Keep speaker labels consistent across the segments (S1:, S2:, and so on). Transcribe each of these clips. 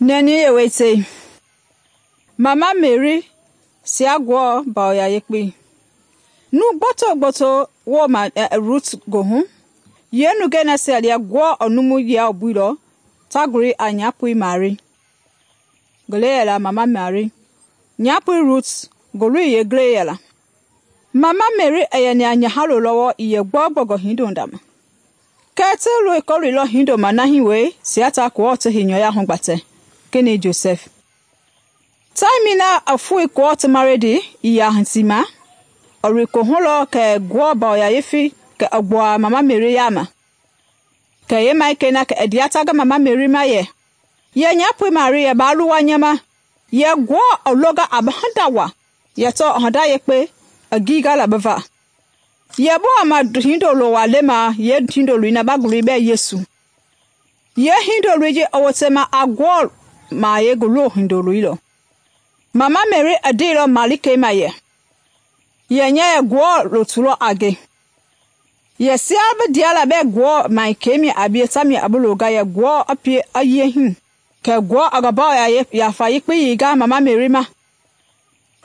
S1: Nɛni yewetei. Mama Mary sia Ngewɔ ya yekpei. Nu gboto woma Ruth goohu. Yeenungɛi nasia lia Ngewɔ i numu yialɔbuilɔ ta guli a nyapoi Mari. Ngele yɛla Mama Mari. Nyapoi Ruth ngului yeengilei yɛla. Mama Mary i yɛni a nyahalo lɔwɔ i yɛ gbɔugbɔngɔ hindonga ma. Kɛɛ ti kɔloilɔ hindoma na hii wee sia ta Ngewɔ ti heinyɔu hugbatɛ, kenɛi Joseph. Taimii na i foi Ngewɔ ti maridi i ya hiti ma, i loi kohu lɔ kɛ Ngewɔ ya yefei kɛ i gbuaa Mama Mary yaama. Kɛ yeemaikɛi na kɛ i ndea ta ngi Mama Mary ma yɛ nyapoi Mari yɛ baa luwa nya ma, yɛ Ngewɔ i longa a bi hinda waa, yɛ tɔɔ i hinda yekpe i giingala bi va. Yɛ bi wama hindolo waa lema yeehindoloi na ba guli bɛɛ Yesu. Yeehindoloi ji i wotema a Ngewɔ mahayɛi ngi loo hindoloi lɔ. Mama Mary i ndeilɔ malikei ma yɛ nya yɛ Ngewɔ lotu lɔ a nge. Yɛ sia bi ndeala bɛɛ Ngewɔ mahikei mi a bie tamia i bi longa yɛ Ngewɔ i pie i yie hii. Kɛ Ngewɔ i ngi yafa yekpei yeinga Mama Mary ma,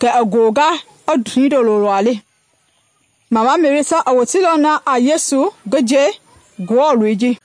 S1: kɛ i gonga i hindolo waa le. Mama Mary ta i woteilɔ na a Yesu ngi je Ngewɔ loi ji.